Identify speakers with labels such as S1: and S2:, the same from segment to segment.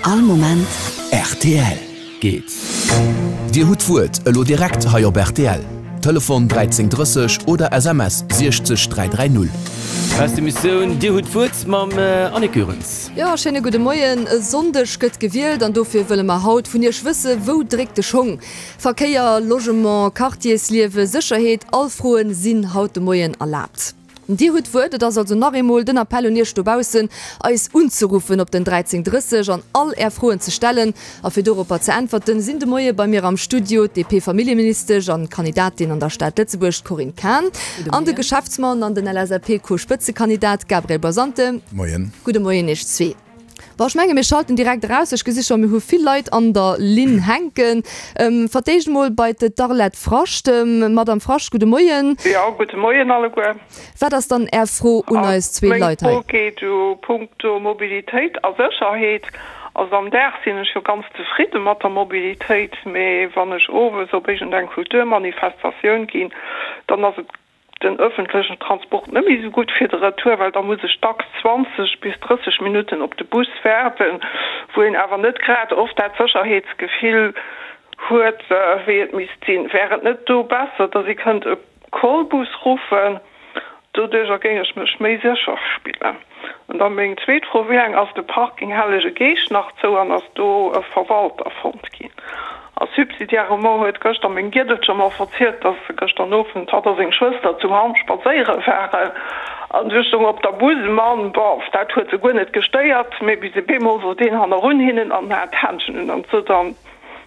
S1: All Moment
S2: rtl. Geet. Dir hutt d'Wuert elo direkt hei op rtl. Telefon 13 30 oder SMS 60 330.
S3: Aus der Missioun Dir hutt d'Wuert mam Annick Goerens.
S4: Jo, schéine gudde Moien. E Sonndeg gëtt gewielt an dofir wëlle mer haut vun Iech wësse, Wou dréckt de Schong? Verkéier, Logement, Quartiersliewe, Sécherheet, all Froen sinn haut de Moien erlaabt. Dir hutt d'Wuert. Et ass also nach eemol den Appell un Iech dobaussen, eis unzeruffen op den 13 30 an all Är Froen ze stellen. A fir doropper ze äntwerten, sinn de Moie bei mir am Studio d'DP-Familljeministesch an Kandidatin an der Stad Lëtzebuerg, d'Corinne Cahen, an de Geschäftsmann an den LSAP-Co-Spëtzekandidat Gabriel Basante.
S5: Moien.
S4: Gudde Moien Iech zwee. Bon, ech menge mir schalten direkt eraus. Ech gesi scho mir hu vill Leit an der Linn hänken. Fir d'éischt emol bei d'Arlette Frascht. Madamm Frascht, gudde Moien.
S6: Jo, gudde Moien alleguer.
S4: Wat ass dann Är Fro un eis zwee
S6: Meng
S4: Leit hei?
S6: Fro geet u punkto Mobilitéit a Sécherheet. Also am Dag sinn ech jo ganz zefridde mat der Mobilitéit, mee wann ech owes op iergendeng Kulturmanifestatioun ginn, dann ass et den ëffentlechen Transport net méi esou gutt fir de Retour, well da muss ech dacks 20 bis 30 Minutten op de Bus waarden, wou een awer net grad oft dat Sécherheetsgefill huet, wéi et misst sinn. Wär et net do besser, datt ee kënnt e Callbus ruffen? Doduercher géing ech mech méi sécher spillen. An da meng zweet Fro, Wéi laang ass de Parking Hellege Geescht nach zou an ass do e Verwalter fonnt ginn? A subsidiairement huet gëschter meng Giedelcher mer verzielt, dass se gëschter Nowend, hatt a seng Schwëster, zu Hamm spadséiere waren an du stoung op der Bus e Mann, bof, dat huet se guer net gestéiert, mee bis e bemol wor deen hannerun hinnen an hat d'Händschen un an sot an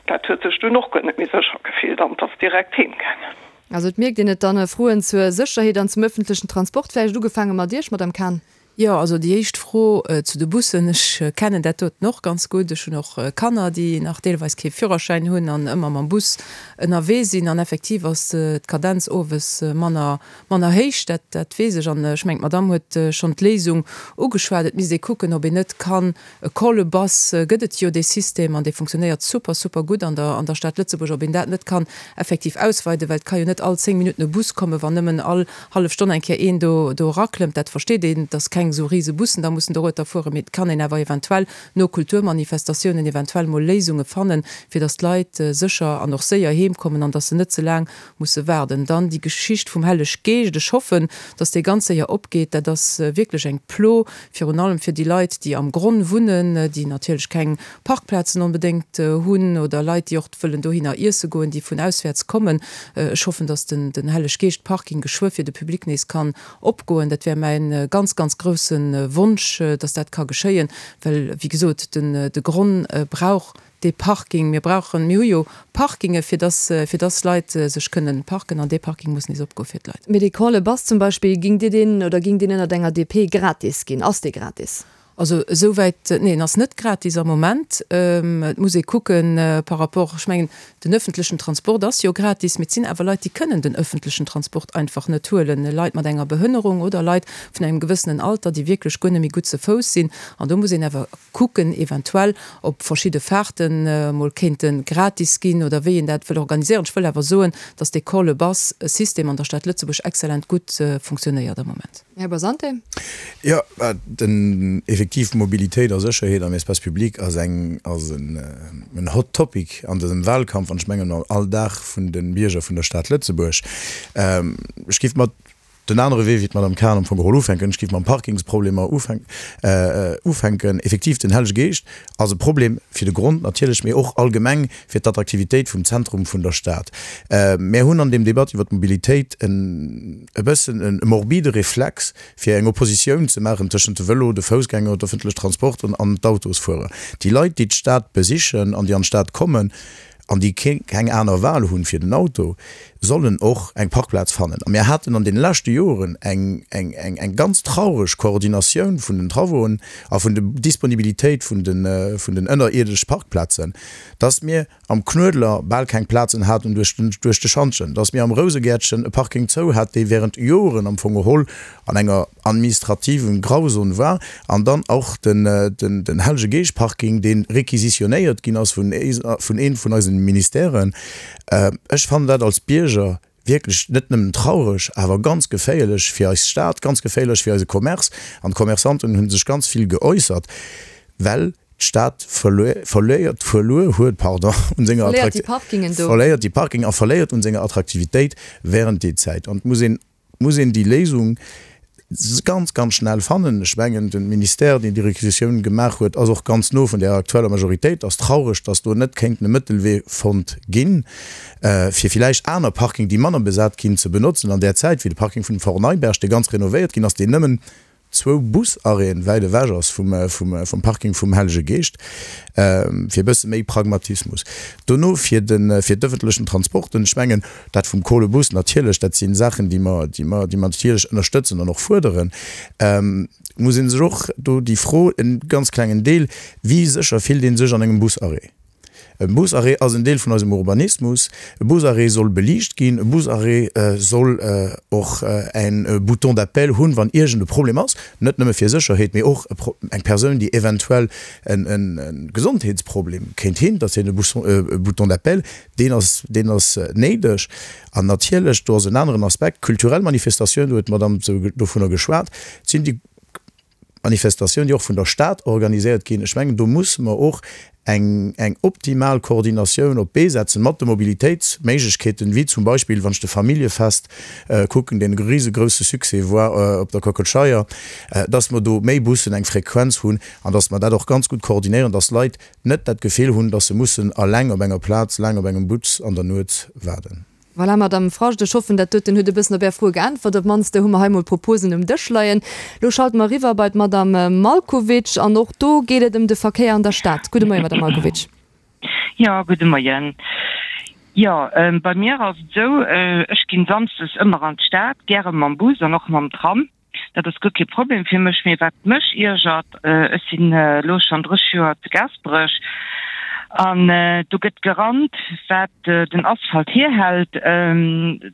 S6: dat huet sech dunn och guer net méi sécher gefillt an 't ass direkt heem gaangen.
S4: Also et mierkt een et dann, Froen zur Sécherheet an zum ëffentlechen Transport. Vläicht ugefaange mat Iech, Madame Cahen.
S7: Jo, also déi éischt Fro zu de Bussen, ech kennen dat doten och ganz gutt. Ech hunn och Kanner, déi nach deelweis kee Führerschäin hunn an ëmmer mam Bus ënnerwee sinn. An effektiv ass d'Kadenz owes manner, manner héich, dat, dat weess ech. An ech mengen, d'Madamm huet schonn d'Léisung ugeschwat, Et misst ee kucken, ob een net kann E Call bus gëtt et jo, dee System, an dee funktionéiert super, super gutt an der, an der Stad Lëtzebuerg. Ob een dat net kann effektiv ausweiden, well et ka jo net all 10 Minutten e Bus kommen, wann nëmmen all hallef Stonn eng Kéier een do, do eraklëmmt. Dat versteet een, dass keng esou rise Bussen da mussen dorueter fueren, mee et kann een awer eventuell no Kulturmanifestatiounen eventuell mol Léisunge fannen, fir dass d'Leit sécher an och séier heem kommen an dass se net ze laang musse waarden. Dann déi Geschicht vum Helleg Geescht, ech hoffen, dass dee ganz séier opgeet. Dat ass wierklech eng Plo, virun allem fir déi Leit, déi am Gronn wunnen, déi natierlech keng Parkplazen onbedéngt hunn oder Leit, déi och wëllen dohinner iesse goen, déi vun auswäerts kommen. Ech hoffen, dass den Helleg Geescht Parking geschwë fir de Public nees kann opgoen. Dat wär mäin ganz, ganz grousse Wonsch, dass dat ka geschéien, well, wéi gesot, de Gronn brauch Dee Parking, mir brauchen, mir hu jo Parkinge fir dass, fir dass Leit sech kënnen parken an dee Parking muss nees opgoe fir d'Leit.
S4: Mee dee Call a Bus zum Beispill, ging Dir deen oder ging deen ënnert enger DP gratis ginn? Ass dee gratis?
S7: Also esouwäit, nee, en ass net gratis am Moment. Et muss ee kucken par rapport, ech mengen, den öffentlechen Transport ass jo gratis, mee et sinn awer Leit, déi kënnen den öffentlechen Transport einfach net huelen, Leit mat enger Behënnerung oder Leit vun engem gewëssenen Alter, déi wierklech guer net méi gutt ze Fouss sinn. An do muss een awer kucken eventuell ob verschidde Fahrten mol kéinte gratis ginn oder wéi een dat wëll organiséieren. Ech wëll awer soen, dass dee Call a Bus System an der Stad Lëtzebuerg excellent gutt funktionéiert am Moment.
S4: Här Basante.
S5: Jo, den effektiv Mobilitéit a Sécherheet am Espace public ass eng ass en hot topic an dësem Wahlkampf an ech mengen am Alldag vun de Bierger vun der Stad Lëtzebuerg. Ech géif mat Den anere Wee, wéi d'Madame Cahen am Fong geholl ufänken, ech géif mam Parkingsproblemer ufänken. Effektiv, den Hellege Geescht ass e Problem fir de Grond natierlech, mee och allgemeng fir d'Attraktivitéit vum Zentrum vun der Stad. Mär hunn an deem Debatt iwwer d'Mobilitéit e bëssen e morbide Reflex, fir eng Oppositioun ze maachen tëschent de Vëlo, de Foussgänger, d'öffentlech Transporten an d'Autosfuerer. Déi Leit, déi d'Stad besichen an déi an d'Stad kommen, an déi keng aner Wahl hunn fir den Auto, sollen och eng Parkplaz fannen. A mir haten an deene leschte Joren eng, eng, eng, eng ganz traureg Koordinatioun vun den Travauxen a vun de Disponibilitéit vun den, vun den ënnerierdesch Parkplazen, dass mir am Knuedler bal keng Plazen haten duerch den, duerch de Schantjen, dass mir am Rousegäertchen e Parking zou hat, dee während Joren am Fong geholl an enger administrativen Grauzon war, an dann och den Hellege Geescht Parking, dee réquisitionnéiert ginn ass vun een vun eisen Ministèren. Ech fannen dat als Bierger wierklech net nëmmen traureg, awer ganz geféierlech fir eis Stad, ganz geféierlech fir eise Commerce. An d'Commerçanten hu sech ganz vill geäussert, well. D'Stad verléiert, verluer huet, pardon, un senger
S4: Verléiert déi Parkingen do.
S5: Verléiert déi Parking a verléiert un senger Attraktivitéit während déi Zäit. An et muss een, muss een déi Léisung ganz, ganz schnell fannen. Ech mengen, de Ministère, deen déi Requisitioun gemaach huet, ass och ganz no vun där aktueller Majoritéit. Ass traureg, dass do net kéinten e Mëttelwee fonnt ginn, fir villäicht aner Parking, déi manner besat ginn, ze benotzen an där Zäit, wéi de Parking vun dem Fort Neiberg, dee ganz renovéiert ginn ass, deen nëmmen zwou Busarrêten wäit ewech ass vum Parking vum Hellege Geescht, fir e bësse méi Pragmatismus. Dono fir de fir d'ëffentlechen Transporten, ech mengen dat vum Kolebus natierlech, dat si Saachen, déi mer déi mer déi mer natierlech ënnerstëtzen an och fuerderen, muss ee sech och do déi Fro, en ganz klengen Deel, wéi sécher fillt ee sech an engem Busarrêt? E Busarrêt ass en Deel vun eisem Urbanismus. E Busarrêt soll beliicht ginn. E Busarrêt soll och e Bouton d'appel hunn, wann iergend e Problem ass, net nëmme fir Sécherheet, mee och eng Persoun, déi eventuell e Gesondheetsproblem kéint hinn, datt hien e Bouton d'appel, deen ass, deen ass néideg. An natierlech, do ass en aneren Aspekt, kulturell Manifestatioun, do huet d'Madame dovunner geschwat, sinn déi Manifestatioun, déi och vun der Stad organiséiert ginn. Ech mengen, do musse mer och eng, eng optimal Koordinatioun op d'Bee setzen mat de Mobilitéitsméiglechkeeten, wéi zum Beispill, wann ech de Familljefest kucken, deen e risegrousse Succès war op der Kockelscheier, dass mer do méi Bussen, eng Frequenz hunn an dass mer dat och ganz gutt koordinéieren, dass Leit net dat Gefill hunn, dass se mussen alleng op enger Plaz laang op engem Bus an der Nuet waarden.
S4: Voilà, Madame Frascht, ech hoffen, dat doten huet e bëssen op Är Froe geäntwert. Op d'mannst hu mer hei mol Proposen um Dësch leien. Lo schalte mer eriwwer bei d'Madame Malkowitsch an och do geet et ëm de Verkéier an der Stad. Gudde Moien, Madame Malkowitsch.
S1: Jo, gudde Moien. Jo, bei mir ass et esou, ech ginn samsdes ëmmer an d'Stad, gäre mam Bus an och mam Tram. Dat ass guer kee Problem fir mech. Mee wat mech iergert, ech sinn elo schonn 30 Joer zu Gaasperech an do gëtt gerannt, wat den Asphalt hierhält.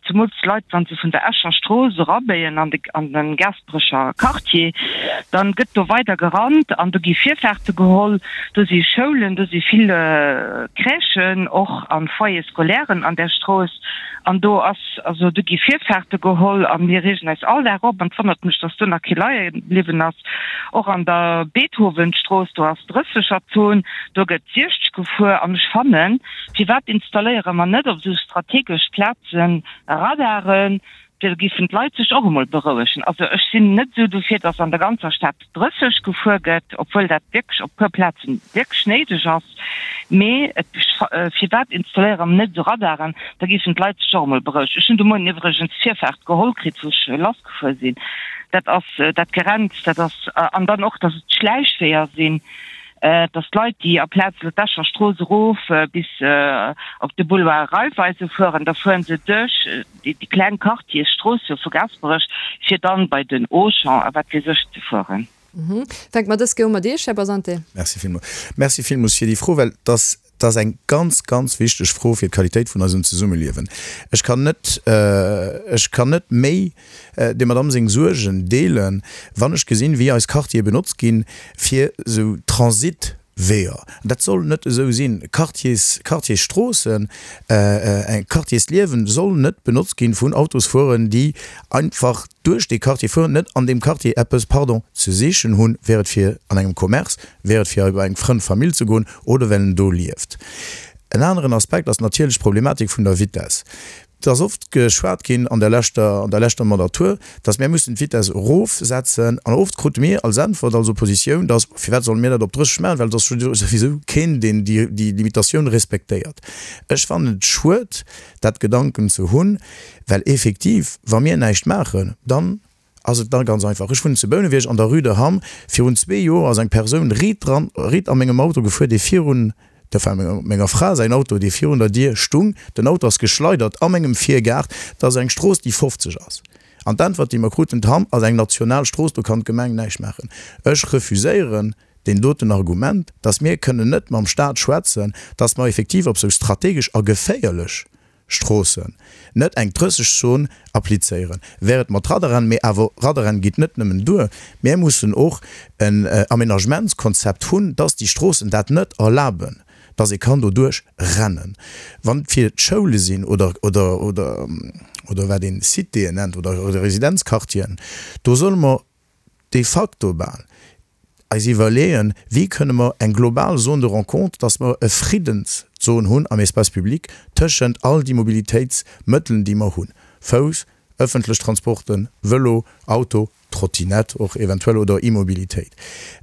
S1: Zemools d'Leit, wa se vun der Escher Strooss erabéien an de an de Gaasperecher Quartier, dann gëtt do weider gerannt an do gi Virfaarte geholl. Do si Schoulen, do si vill Crèchen och a Foyers scolairen an där Strooss an do ass Also do gi Virfaarte geholl a mir reegen eis all Dag op an et wonnert mech, dass do nach kee leie bliwwen ass. Och an der Beethovenstrooss, do ass Drëssegerzon, do gëtt 60 gefuer an ech fannen, firwat installéiere mer net op esou strategesch Plaze Radaren, da géifen d'Leit sech och emol berouegen. Also ech sinn net esou dofir, dass an der ganzer Stad 30 gefuer gëtt, obwuel dat wierklech op puer Plazen wierklech néideg ass, mee et, firwat installéiere mer net esou Radaren, da géifen d'Leit sech och emol berouegen. Ech hunn de Moien iwwregens d'Virfaart geholl kritt, wou ech lassgefuer sinn. Dat ass dat Gerenns, dat ass, an dann och, datt et Schläichweeër sinn, datt d'Leit, déi aplaz elo d'Escher Strooss erof bis op de Boulevard Raiffeisen fueren, da fueren se duerch déi kleng Quartiersstroosse vu Gaasperech, fir dann bei den Auchan a wat weess ech ze fueren.
S4: Fänke mer dës Kéier u mat Iech, Här Basante.
S5: Merci villmools. Merci villmools fir déi Fro, well et ass, et ass eng ganz, ganz wichteg Fro fir d'Qualitéit vun eisem Zesummeliewen. Ech kann net, ech kann net méi dem Madamm seng Suergen deelen, wann ech gesinn, wéi eis Quartiere benotzt ginn, fir esou Transit, Weeër. Dat soll net esou sinn. Quartiers, Quartiersstroossen, Quartiersliewen soll net benotzt ginn vun Autosfueren, déi einfach duerch dee Quartier fueren, net an deem Quartier eppes, pardon, ze sichen hunn, wär et fir an engem Commerce, wär et fir bei eng Frënn, Famill ze goen oder well en do lieft. En aneren Aspekt ass natierlech d'Problematik vun der Vitess. Et ass oft geschwat ginn an der leschter, an der leschter Mandatur, dass mär mussen d'Vitesse erofsetzen. An oft krute mir als Äntwert als Oppositioun, dass, Firwat solle mir dat op 30 maachen, well et ass souwisou keen, deen déi, déi Limitatioun respektéiert. Ech fannen et schued, dat Gedanken ze hunn, well effektiv, wa mir näischt maachen, dann Ass et da ganz einfach. Ech wunnen zu Bouneweg an der Rue de Hamm. Virun zwee Joer ass eng Persoun riit dran, riit a mengem Auto gefuer, dee virun, enfin menger Fra säin Auto, dee virun der Dier stung. Den Auto ass geschleidert a mengem Virgaart. Dat ass eng Strooss, déi 50 ass. An d'Äntwert, déi mer kruten, d'Hamm ass eng national Strooss, do kann d'Gemeng näischt maachen. Ech refuséieren deen doten Argument, dass mir kënnen net mam Staat schwätzen, dass mer effektiv op sou strategesch a geféierlech Stroossen net eng 30 Zon applizéieren. Wär et mat Radaren, mee awer Radaren geet net nëmmen duer, mär mussen och en Aménagementskonzept hunn, dass déi Stroossen dat net erlaben, dass ee kann doduerch rennen. Wann et fir d'Schoule sinn oder, oder, oder, oder wat een Citéen nennt oder Residenzquartieren, do solle mer de facto bal. eis iwwerleeën, wéi kënne mer eng global Zone de rencontre, dass mer e Friddenszon hunn am Espace public tëschent all déi Mobilitéitsmëttelen, déi mer hunn, Fouss, ëffentlech Transporten, Vëlo, Auto, Trottinette och eventuell oder Immobilitéit.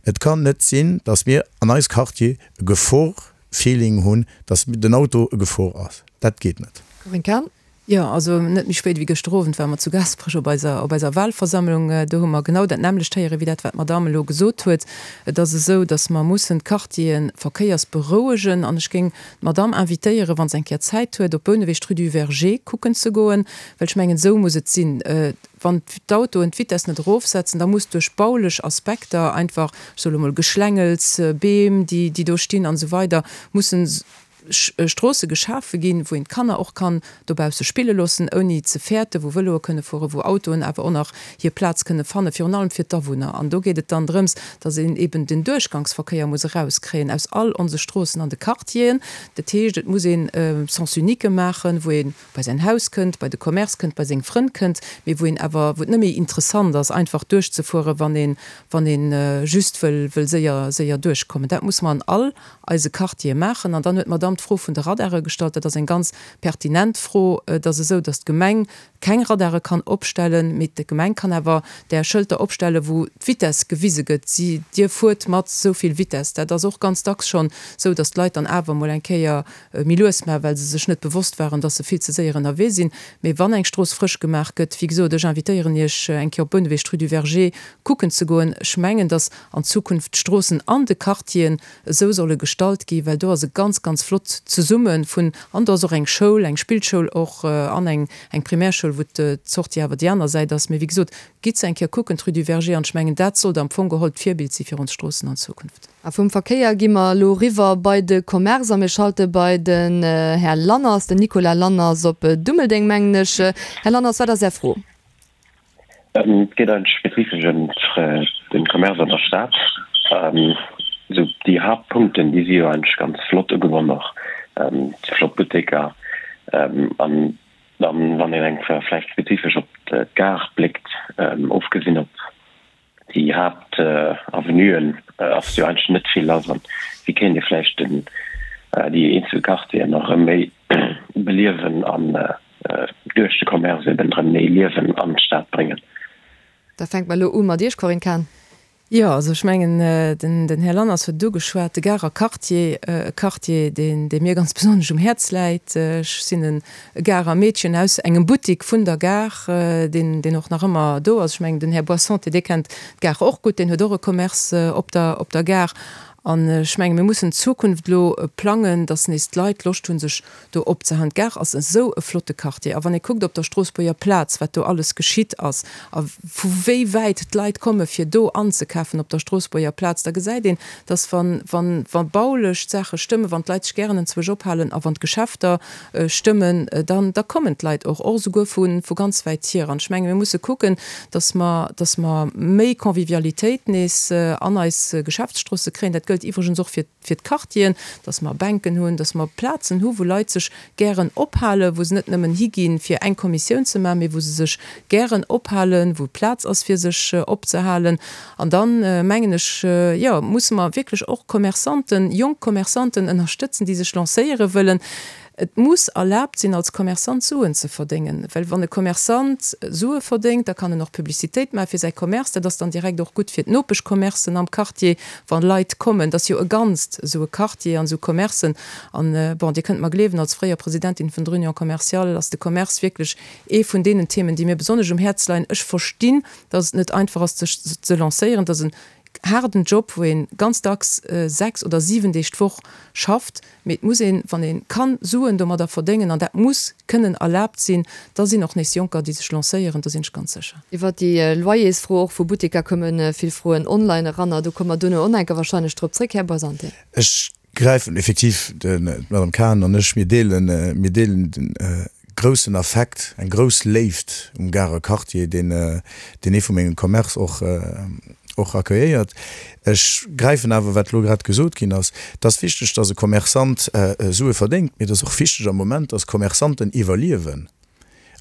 S5: Et kann net sinn, dass mir an eis Quartier e Gefor-Feeling hunn, dass den Auto e Gefor ass. Dat geet net.
S4: Corinne Cahen.
S7: Jo, also net méi spéit wéi gëschter Owend ware mer zu Gaasperech op eiser, op eiser Wahlversammlung. Do hu mer genau dat nämmlecht héieren, wéi dat, wat d'Madame elo gesot huet. Et ass esou, datt mer mussen d'Quartiere verkéiersberouegen. An ech géing d'Madame invitéieren, wa se eng Kéier Zäit huet, op Bouneweg d'Rue du Verger kucken ze goen, well ech mengen, esou muss et sinn. Wann d'Autoen d'Vitess net erofsetzen, da muss duerch baulech Aspekter einfach, ech soe lo mol Geschlängels, Beem, déi, déi do stinn an esou weider, mussen Stroosse geschafe ginn, wou een d'Kanner och kann dobausse spille loossen, ouni ze fäerten, wou Vëloe kënne fueren, wou Autoen awer och nach hir Plaz kënne fannen, virun allem fir d'Awunner. An do geet et dann drëms, dass een eben den Duerchgangsverkéier muss erauskréien aus all onse Stroossen an de Quartieren. Dat heescht, et muss een Sens unique maachen, wou ee bei säin Haus kënnt, bei de Commerce kënnt, bei seng Frënn kënnt, mee wou een awer, wou et net méi interessant ass, einfach duerchzefueren, wann een, wann ee just wëll, wëll séier, séier duerchkommen. Dat musse mer an all eise Quartiere maachen. An dann huet d'Madamm d'Fro vun de Radare gestallt. Dat ass eng ganz pertinent Fro. Et ass esou, datt d'Gemeng keng Radare kann opstellen, mee d'Gemeng kann awer där Schëlter opstellen, wou d'Vitess gewise gëtt, si, Dir fuert mat esou vill Vitess. Dat ass och ganz dacks schonn esou, datt d'Leit dann awer emol eng Kéier méi lues maachen, well se sech net bewosst waren, datt se vill ze séier ënnerwee sinn. Mee wann eng Strooss frësch gemaach gëtt, wéi gesot, ech invitéieren Iech, eng Kéier op Bouneweg, d'Rue du Verger kucken ze goen. Ech mengen, datt an Zukunft d'Stroossen an de Quartieren esou solle gestalt gi, well do ass e ganz, ganz flott Zesumme vun, an do ass och eng Schoul, eng Spillschoul och an eng eng Primärschoul, wou d'Sortie awer déi aner Säit ass. Mee wéi gesot, gitt se eng Kéier kucken, d'Rue du Verger, an ech mengen, dat sollt am Fong geholl d'Virbild si fir ons Stroossen an Zukunft.
S4: A vum Verkéier gi mer elo eriwwer bei de Commerce a mir schalte bei den Här Lanners, den Nicolas Lanners op Dummeldeng, mengen ech. Här Lanners, wat ass Är Fro?
S8: Et geet eigentlech spezifesch ëm de Commerce an der Stad. Esou déi Haaptpunkten, déi si jo eigentlech ganz flott ugebonn och, déi flott Butteker. An dann, wann een eng Kéier vläicht spezifesch op d'Gare bléckt, ofgesinn op déi Haaptavenuen, ass jo eigentlech net vill lass. An wéi kéint ee vläicht déi eenzel Quartieren nach erëm méi beliewen an duerch de Commerce eben erëm méi Liewen an d'Stad bréngen.
S4: Da fänke mer elo u mat Iech, Corinne Cahen.
S7: Jo, also ech mengen, den Här Lanners huet et ugeschwat, de Garer Quartier, e Quartier, deen, dee mir ganz besonnesch um Häerz läit. Ech sinn e Garer Meedchen aus engem Buttik vun der Gare, deen, deen och nach ëmmer do ass. Ech mengen, den Här Boissonté, dee kennt d'Gare och gutt, deen huet och e Commerce op der, op der Gare. An ech menge mir mussen d'Zukunft elo plangen, datt nees d'Leit Loscht hunn, sech do opzehalen. D'Gare ass esou e flotte Quartier. A wann ee kuckt op der Stroossbuerger Plaz, wat do alles geschitt ass a vu wéi wäit d'Leit komme fir do anzekafen op der Stroossbuerger Plaz, da gesäit een, datt wann, wann, wa baulech d'Saache stëmmen, wann d'Leit sech gären enzwousch ophalen a wann d'Geschäfter stëmmen, dann, da kommen d'Leit och, och esouguer vu, vu ganz wäit hier. An ech menge mir musse kucken, datt mer, datt mer méi Convivialitéit nees an eis Geschäftsstroosse kréien. Dat gëllt iwwregens och fir, fir d'Quartieren, datt mer Bänken hunn, datt mer Plazen hu wou Leit sech gären ophalen, wou se net nëmmen higinn, fir eng Kommissioun ze maachen, mee wou se sech gären ophalen, wou Plaz ass fir sech opzehalen. An dann, mengen ech, jo, musse mer wierklech och Commerçanten, jonk Commerçanten ënnerstëtzen, déi sech lancéiere wëllen. Et muss erlaabt sinn, als Commerçant Suen ze verdéngen, well wann e Commerçant Sue verdéngt, da kann en och Publicitéit maache fir säi Commerce. Dat ass dann direkt och gutt fir d'Nopeschcommercen am Quartier, wa Leit kommen. Dat ass jo e Ganzt, esou e Quartier an esou Commercen. An, bon, Dir kënnt mer gleewen, als fréier Presidentin vun der Union commerciale ass de Commerce wierklech ee vun deenen Themen, déi mir besonnesch um Häerz leien. Ech verstinn, dass et net einfach ass, sech ze lancéieren. Dat ass en haarden Job, wou ee ganz dacks 6 oder 7 Deeg d'Woch schafft. Mee et muss een, wann ee kann Suen domadder verdéngen, an dat muss kënnen erlaabt sinn, da sinn och nees Jonker, déi sech lancéieren, do sinn ech ganz sécher.
S4: Iwwer déi Loyersfro och vu Butteker komme vill Froen online eran. Do komme mer duerno och nach eng Kéier wahrscheinlech drop zréck, Här Boisante.
S5: Ech gräifen effektiv, d'Madame Cahen an ech, mir deelen, mir deelen den groussen Affekt, eng grouss Léift um Garer Quartier, deen, deen ee vu mengem Commerce och, och accueilléiert. Ech gräifen awer, wat elo grad gesot ginn ass, Et ass wichteg, dass e Commerçant Sue verdéngt, mee et ass och wichteg am Moment, dass Commerçanten iwwerliewen.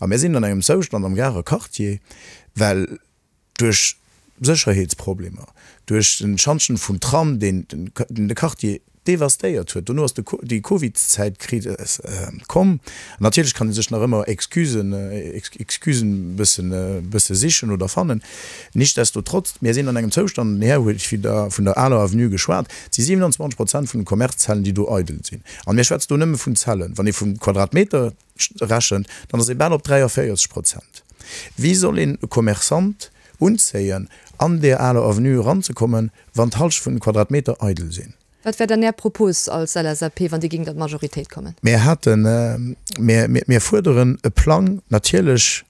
S5: A mir sinn an engem Zoustand am Garer Quartier, well duerch. Sécherheetsproblemer, duerch den Schantjen vum Tram, deen de Quartier devastéiert huet. Dono ass déi Covidszäit komm. An natierlech kann ee sech nach ëmmer Excusen, Excusen bëssen, bësse sichen oder fannen. Nichtsdestotrotz, mir sinn an engem Zoustand, den Här huet vun der aler Avenue geschwat, et si 27 Prozent vun de Commercezellen, déi do eidel sinn. An mir schwätzen do nëmme vun Zellen. Wann ee vum Quadratmeter rechent, dann ass ee bal op 43 Prozent. Wéi soll een e Commerçant unzéien, an där aler Avenue eranzekommen, wann d'Halschent vun den Quadratmeter eidel sinn?
S4: Wat wär dann Är Propos als LSAP, wann Dir géingt an d'Majoritéit kommen?
S5: Mir haten, mir, mir fuerderen e Plang. Natierlech,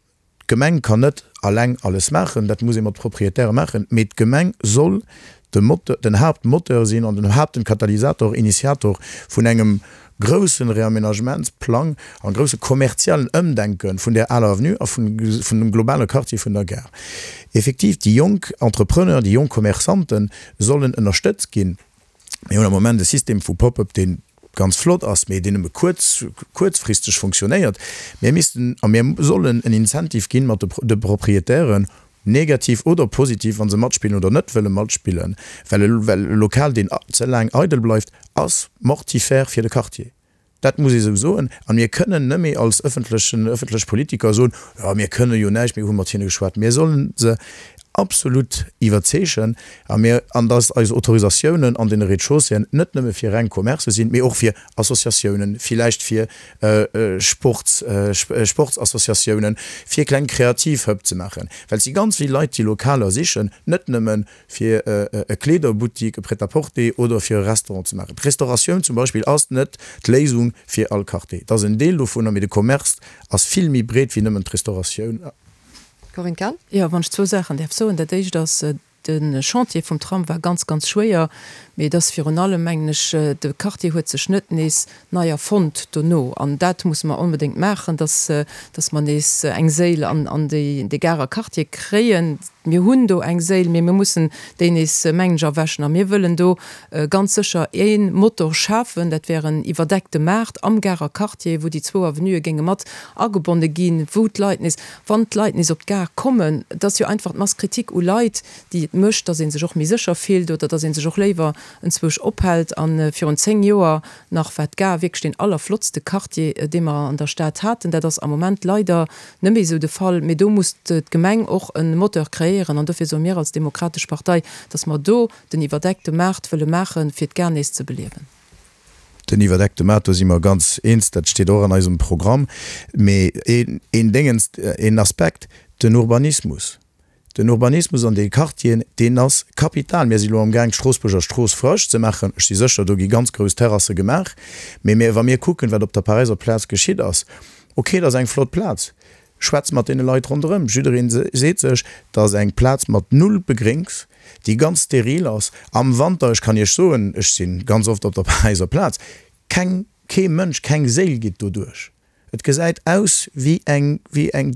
S5: d'Gemeng kann net alleng alles maachen, dat muss ee mat Proprietäre maachen, mee d'Gemeng soll de Moteur, den Haaptmoteur sinn an den Haaptenkatalysator, Initiator vun engem groussen Reaménagementsplang an grousse kommerziellen Ëmdenke vun där aler Avenue a vun dem globale Quartier vun der Gare. Effektiv, déi jonk Entrepreneur, déi jonk Commerçanten sollen ënnerstëtzt ginn. Mir hunn am Moment e System vu Pop-up, dee ganz flott ass, mee deen nëmme kuerz, kuerzfristeg funktionéiert. Mir missten a mir sollen en Incentive ginn mat de Proprietären, negativ oder positiv, wa se matspillen oder net wëlle matspillen, well e Lokal, deen ze laang eidel bleift, ass mortifère fir de Quartier. Dat muss ee sou soen. A mir kënnen nëmme als ëffentlechen, ëffentlech Politiker soen, Jo, mir kënne jo näischt, mir hu mat hinne geschwat. Mir solle se absolut iwwerzeegen a mir, an dass eis Autorisatiounen an deene Rez-de-chausséeën net nëmme fir reng Commercë sinn, mee och fir Associatiounen, villäicht fir Sports, Sportsassociatiounen, fir kleng kreativ Hub ze maachen. Well et si ganz vill Leit, déi Lokaler sichen, net nëmme fir e Kleederbuttik, e Prêt-à-porter oder fir e Restaurant ze maachen. D'Restauratioun zum Beispill ass net d'Léisung fir all Quartier. Et ass en Deel dovunner, mee de Commerce ass vill méi breet wéi nëmmen d'Restauratioun.
S4: Corinne Cahen.
S7: Jo, wann ech zwou Saachen däerf soen. Dat Éischt ass, De Chantier vum Tram war ganz, ganz schwéier, mee et ass virun allem, mengen ech, de Quartier huet sech net nees nei erfonnt dono. An dat musse mer onbedéngt maachen, dass, dass mer nees eng Séil an, an déi, dee Garer Quartier kréien. Mir hunn do eng Séil, mee mir mussen déi nees, mengen ech, erwächen. A mir wëllen do ganz sécher ee Motor schafen, dat wär en iwwerdeckte Maart am Garer Quartier, wou déi zwou Avenuë géinge mat agebonne ginn, wou d'Leit nees, Wann d'Leit nees op d'Gare kommen, et ass jo einfach d'Masse critique u Leit, déi et mécht, dass ee sech och méi sécher fillt oder dass ee sech och léiwer enzwousch ophält. A virun 10 Joer nach war d'Gare wierklech deen allerflottste Quartier, dee mer an der Stad haten. Dat ass am Moment leider net méi esou de Fall. Mee do muss d'Gemeng och e Moteur kreéieren. An dofir soe mir als Demokratesch Partei, dass mer do den iwwerdeckte Maart wëlle maachen, fir d'Gare nees ze beliewen.
S5: Den iwwerdeckte Maart, do si mer ganz eens, dat steet och an eisem Programm. Mee een Déngens, een Aspekt, den Urbanismus. Den Urbanismus an de Quartieren, deen ass kapital. Mir si lo amgaang, d'Stroossbuerger Strooss frësch ze maachen. Ech si sécher, do gi ganz grouss Terrasse gemaach. Mee mir, wa mir kucken, wat op der Paräiser Plaz geschitt ass, okay, dat ass eng flott Plaz, Schwätz mat deene Leit ronderëm. Jiddereen seet sech, dat ass eng Plaz mat null Begréngs, déi ganz steril ass. Am Wanter, ech kann Iech soen, ech si ganz oft op der Paräiser Plaz, keng, kee Mënsch, keng Séil geet doduerch. Et gesäit aus wéi eng, wéi eng,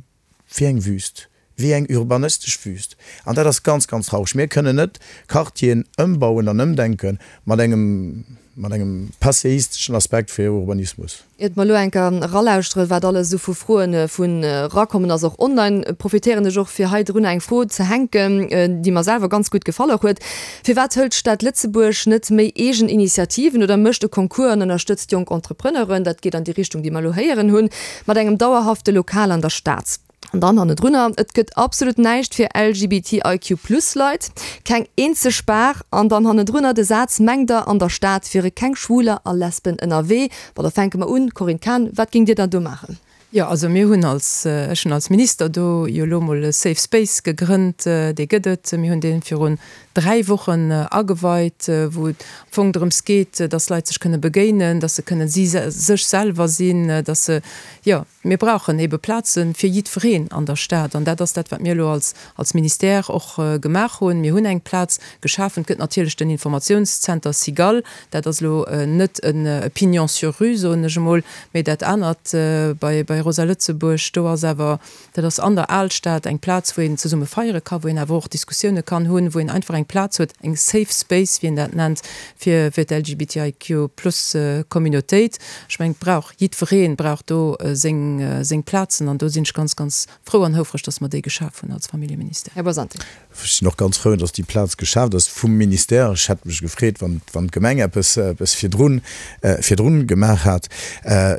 S5: wéi eng Wüst, wéi eng urbanistesch Wüst. An dat ass ganz, ganz traureg. Mir kënnen net Quartieren ëmbauen an ëmdenke mat engem, mat engem passéisteschen Aspekt fir Urbanismus.
S4: Iert mer elo enker eralauschteren, wat alles esou vu Froen vun erakommen ass, och online, profitéieren ech och fir hei drun eng Fro ze hänken, déi mer selwer ganz gutt gefall och huet, Firwat hëlt d'Stad Lëtzebuerg net méi eegen Initiativen oder mécht e Concours an ënnerstëtzt jonk Entrepreneuren, dat geet an déi Richtung, déi mer elo héieren hunn, mat engem dauerhafte Lokal an der Stad? An dann hannendrunner, Et gëtt absolut näischt fir LGBTIQ plus Leit, keng eenzeg Bar. An dann hannendrunner de Saz, Mengt der, an der Stad wiere keng Schwuler a Lesben ënnerwee? Bon, da fänke mer un. Corinne Cahen, wat géingt Dir dann do maachen?
S7: Jo, also mir hunn als, ech hunn als Minister do jo elo mol e Safe Space gegrënnt, dee gëtt et. Mir hunn dee virun 3 Wochen ageweit, wou et am Fong drëms geet, dass Leit sech kënne begéinen, dass se kënne si sech selwer sinn, dass se, jo, Mir brauchen ebe Plaze fir jiddwereen an der Stad. An dat ass dat, wat mir elo als, als Ministère och gemaach hunn. Mir hunn eng Plaz geschafen. Et gëtt natierlech den Informatiounszenter Cigale. Dat ass elo net e Pignon sur rue, soen ech emol, mä dat anert bei, bei. bei Rosa Lëtzebuerg, do ass awer, dat ass an der Alstad eng Plaz, wou een zesumme feiere ka, wou een awer och Diskussioune kann hunn, wou een einfach eng Plaz huet, eng safe space, wéi een dat nennt, fir fir d'LGBTIQ plus Communautéit. Ech mengen, et brauch jiddweree brauch do seng seng Plazen an do sinn ech ganz, ganz frou an houfreg, dass mer déi geschaf hunn als Familljeministère.
S4: Här Boisanti.
S5: Ech sinn och ganz frou, dass déi Plaz geschaaft ass vum Ministère. Ech hätt mech gefreet, wann d'Gemeng eppes virdrun virdrun gemaach hat,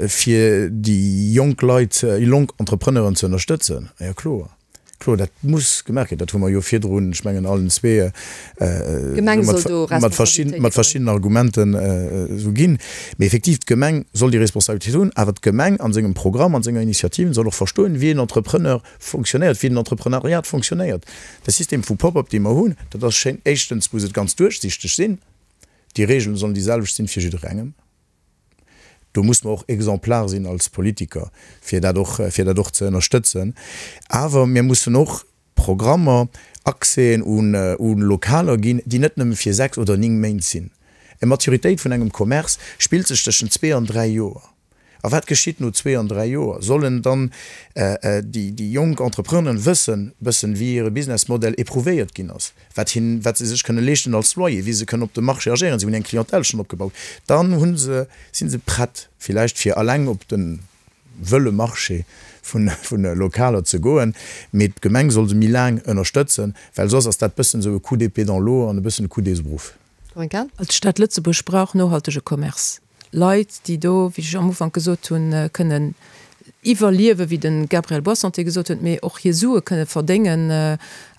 S5: fir déi jonk Leit, jonk Entrepreneuren ze ënnerstëtzen. Jo, kloer, kloer, dat muss gemaach ginn. Dat hu mer jo virdrun, ech mengen allen zwee, mat verschiddenen Argumenten esou ginn. Mee effektiv, d'Gemeng soll déi Responsabilitéit hunn, awer d'Gemeng a sengem Programm, a senger Initiativen soll och verstoen, wéi en Entrepreneur fonctionnéiert, wéi den Entrepreneuriat fonctionnéiert. De System vu Pop-up, dee mer hunn, dat ass schéin. Éischtens muss et ganz duerchsichteg sinn. Déi Regeln sollen déi selwecht sinn fir jidderengem. Do muss mer och exemplar sinn als Politiker, fir dat och, fir dat och ze ënnerstëtzen. Awer mir mussen och Programmer, Accèsen u Lokaler ginn, déi net nëmme fir 6 oder 9 Méint sinn. Eng Maturitéit vun engem Commerce spillt sech tëschent zwee an dräi Joer. A wat geschitt no zwee an dräi Joer? Sollen dann déi jonk Entrepreneuren wëssen, bëssen, wéi hire Businessmodell éprouvéiert ginn ass, wat hin, wat se sech kënne leeschten als Loyer, wéi se kënnen op dem Marché agéieren, se hunn eng Clientèle schonn opgebaut, dann hu se, si se prett villäicht fir alleng op de wëlle Marché vun Lokaler ze goen. Mee d'Gemeng soll se méi laang ënnerstëtzen, well soss ass dat bëssen esou e Coup d'épée dans l'eau an e bëssen e Coup d'Esbruff.
S4: Corinne Cahen.
S7: D'Stad Lëtzebuerg brauch nohaltege Commerce. Leit, déi do, wéi ech am Ufank gesot hunn, kënnen iwwerliewen, wéi de Gabriel Boissanté gesot huet, mee och hir Sue kënne verdéngen,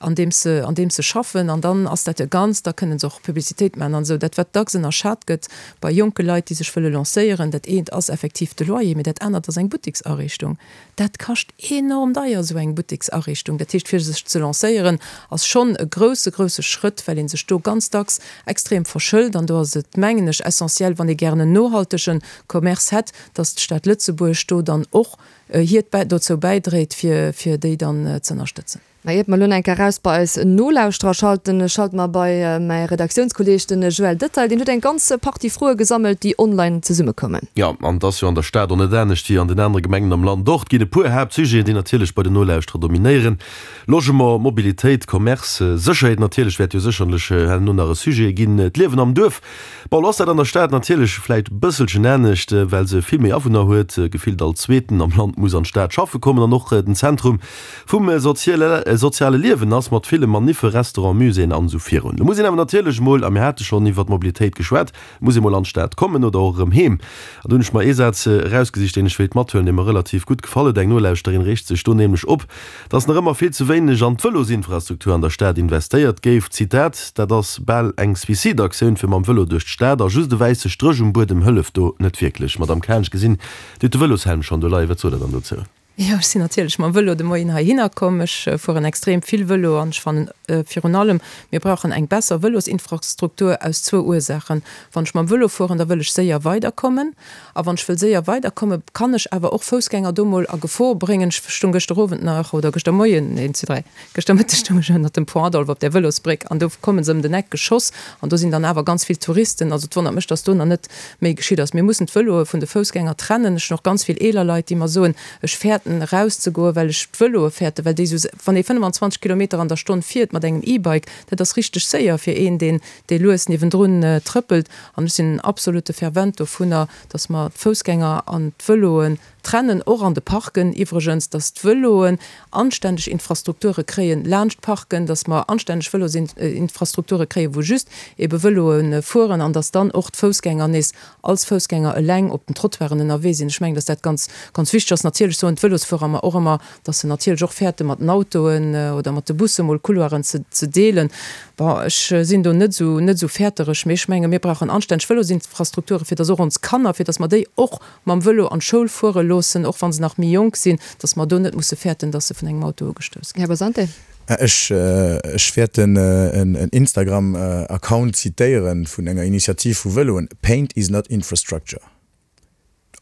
S7: andeems se, andeems se schaffen. An dann ass dat e Ganzt, da kënne se och Publicitéit maachen an esou. Dat, wat dacks ënnerschat gëtt bei jonke Leit, déi sech wëlle lancéieren, dat eent ass effektiv de Loyer, mee dat anert ass eng Butteksariichtung. Dat kascht enorm deier, esou eng Butteksariichtung. Dat heescht, fir sech ze lancéieren, ass schonn e grousse, grousse Schrëtt, well ee sech do ganz dacks extrem verschëlt. An do ass et, mengen ech, essentiell, wann ee gären en nohaltege Commerce hätt, dass d'Stad Lëtzebuerg do dann och hiert dozou bäidréit, fir, fir déi dann ze ënnerstëtzen.
S4: Mä iert mer elo nach eng Kéier eraus bei eis Nolauschterer schalten, schalte mer bei mäi Redaktiounskolleeg, den Joël Detail. Deen huet eng ganz Partie Froe gesammelt, déi online zesummekoumen.
S9: Jo, an et ass jo an der Stad och net anescht wéi an den anere Gemengen am Land och. Et ginn e puer Haaptsujeten, déi natierlech bei den Nolauschterer dominéieren, Logement, Mobilitéit, Commerce, Sécherheet natierlech wäert jo sécherlech herno nach e Sujet ginn, d'Liewen am Duerf. Bon, lo ass dat an der Stad natierlech vläit e bësselchen anescht, well se vill méi Awunner huet, gefillt all Zweeten am Land muss an d'Stad schaffe kommen an och den Zentrum Vum soziale Liewen ass mat ville Maniffe, Restaurant, Muséeën an esou virun. Lo muss een awer natierlech emol, a mir hate schonn iwwert d'Mobilitéit geschwat, muss ee mol an d'Stad kommen oder och erëm heem. An do hunn ech mer ee Saz erausgesicht, deen ech wéilt mathuelen, dee mer relativ gutt gefall huet. Eng Nolauschterin reegt sech do nämlech op, dass nach ëmmer vill ze wéineg an d'Vëlosinfrastruktur an der Stad investéiert géif. Zitat, Dat ass bal eng Suicideaktioun, fir mam Vëlo duerch d'Stad, a just e wäisse Stréch um Buedem hëlleft do net wierklech. Madamm Cahen, ech gesinn, Dir hutt de Vëloshelm schonn do leien. Wat sot Der dann dozou?
S7: Jo, ech sinn natierlech mam Vëlo de Moien heihinner komm. Ech fueren extrem vill Vëlo an ech fannen virun allem, mir brauchen eng besser Vëlosinfrastruktur aus zwou Ursaachen. Wann ech mam Vëlo fueren, da wëll ech séier weiderkommen. A wann ech wëll séier weiderkommen, kann ech awer och Foussgänger do mol a Gefor bréngen. Ech stung gëschter Owend nach, oder gëschter Moien, een, zwee, dräi, gëschter Mëtteg stung ech ënnert dem Pont Adolphe op där Vëlosbréck an do komme se ëm den Eck geschoss an do sinn dann awer ganz vill Touristen. Also et wonnert mech, dass do nach net méi geschitt ass. Mir mussen d'Vëloe vun de Foussgänger trennen. Ech hunn och ganz vill eeler Leit, déi mer soen, ech fäerten erauszegoen, well ech d'Vëloe fäerten, well déi esou, wann ee 25 Kilometer an der Stonn fiert mat engem E-Bike, dat ass richteg séier fir een, deen, dee lues niewendrun trëppelt. An ech sinn en absolute Fervent dovunner, dass mer d'Foussgänger an d'Vëloen Trennen, och an de Parken iwwregens, dass d'Vëloen anständeg Infrastrukture kréien laanscht d'Parken, dass mer anständeg Vëlosinfrastrukture kréien, wou just ebe Vëloe fueren an dass dann och d'Foussgänger nees als Foussgänger eleng op den Trottoiren ënnerwee sinn. Ech mengen, dass dat ganz, ganz wichteg ass. Natierlech soen d'Vëlosfuerer mer och ëmmer, dass se natierlech och fäerte mat den Autoen oder mat de Busse mol Couloiren ze, ze deelen. Bon, ech sinn do net esou, net esou fäertereg, mee ech menge mir brauchen anständeg Vëlosinfrastrukture fir dass och ons Kanner, fir dass mer déi och mam Vëlo an d'Schoul fuere loossen, och wa se nach méi jonk sinn, dass mer do net musse fäerten, dass se vun engem Auto ugestouss ginn.
S4: Här Bosante.
S5: Ech wäert en Instagram-Account zitéiere vun enger Initiativ vu Vëloen, Paint is not infrastructure.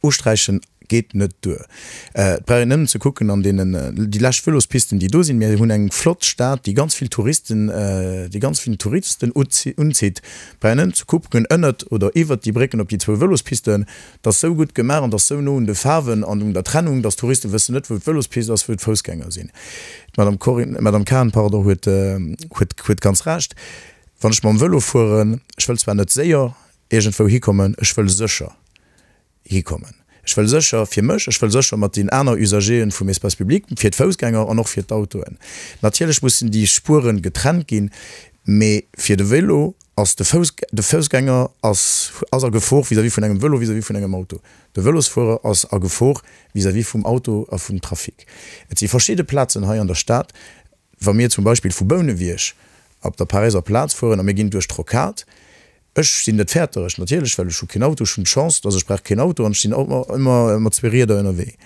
S5: Usträichen. Geet net duer. Et brauch een nëmmen ze kucken an deenen, déi lescht Vëlospisten, déi do sinn. Mir hunn eng flott Stad, déi ganz vill Touristen, déi ganz vill Touristen unzitt. Et brauch een nëmmen ze kucken ënnert oder iwwert déi Brécken op déi zwou Vëlospisten. Dat ass sou gutt gemaach an dat ass sou no un de Faarwen an un der Trennung, dass d'Touriste wëssen net, wou d'Vëlospist ass, wou d'Foussgänger sinn. D'Madame Corinne, d'Madame Cahen, pardon, huet, huet, huet ganz Recht. Wann ech mam Vëlo fueren, ech wëll zwar net séier iergendwou hikommen, ech wëll sécher hikommen. Ech wëll sécher fir mech, ech wëll sécher mat den aner Usageren vum Espace public, fir d'Foussgänger an och fir d'Autoen. Natierlech mussen déi Spueren getrennt ginn, mee fir de Vélo ass de Fouss, de Foussgänger ass, ass a Gefor vis-à-vis vun engem Vélo, vis-à-vis vun engem Auto. De Vélosfuerer ass a Gefor vis-à-vis vum Auto a vum Trafic. Et si verschidde Plazen hei an der Stad, wa mir zum Beispill vu Bouneweg op der Paräiser Plaz fueren a mir ginn duerch d'Rocade, Ech sinn net fäertereg, natierlech, well ech hu keen Auto, ech hunn d'Chance, dass ech brauch keen Auto an ech sinn ëmmer mat zwee Rieder ënnerwee.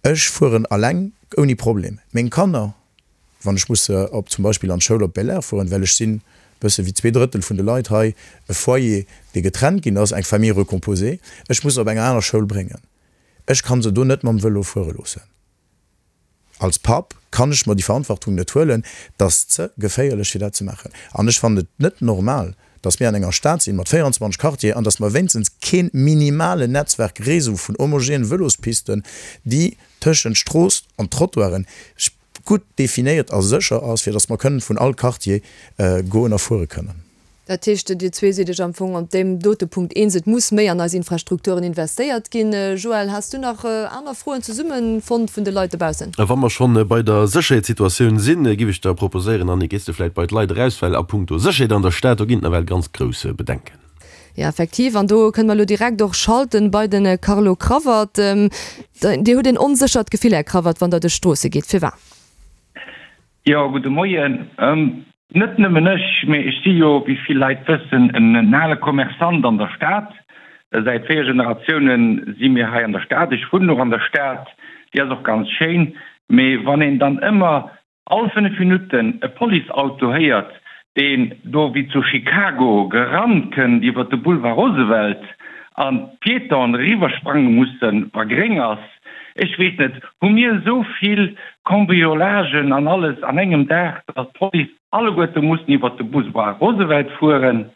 S5: Ech fueren alleng ouni Problem. Meng Kanner, wann ech muss se op zum Beispill an d'Schoul op Belair fueren, well ech sinn bësse wéi 2/3 vun de Leit hei e Foyer, dee getrennt ginn ass, eng Famille recomposée, ech muss se op eng aner Schoul bréngen. Ech kann se do net mam Vëlo fuere loossen. Als Papp kann ech mer déi Verantwortung net huelen, et ass ze geféierlech fir dat ze maachen. An ech fannen et net normal, datt mir an enger Stad sinn mat 24 Quartieren an datt mer wéinstens keen minimalen Netzwerk, Réseau vun homogenen Vëlospisten, déi tëschent Strooss an Trottoiren gutt definéiert a sécher ass, fir datt mer kënnen vun all Quartier goen a fuere kënnen.
S4: Dat heescht, Dir zwee sidd Iech am Fong op deem dote Punkt eens, et muss méi an eis Infrastrukturen investéiert ginn. Joël, has du nach aner Froen zesumme fonnt vun de Leit dobaussen?
S9: Wa mer schonn bei der Sécherheetssituatioun sinn, giff ech der proposéieren, Annick, gees de vläit bei d'Leit eraus, well a punkto Sécherheet an der Stad, do ginn et nawell ganz grouss Bedenken.
S4: Jo, effektiv. An do kënne mer elo direkt och schalten bei de Carlo Cravat. Dir hutt een onséchert Gefill, Här Cravat, wann Der duerch d'Stroosse gitt. Firwat?
S10: Jo, gudde Moien. Net nëmmen ech, mee ech si jo, wéi vill Leit wëssen, en ale Commerçant an der Stad. Säit 4 Generatioune si mir hei an der Stad. Ech wunnen och an der Stad, déi ass och ganz schéin. Mee wann een dann ëmmer all 5 Minutten e Policeauto héiert, deen do wéi zu Chicago gerannt kënnt iwwer de Boulevard Roosevelt an d'Piétonen eriwwersprange mussen, wa gréng ass, Ech weess net, hu mir esou vill Cambriolagen an alles an engem Dag, datt d'Police alleguerte mussen iwwert de Boulevard Roosevelt fueren?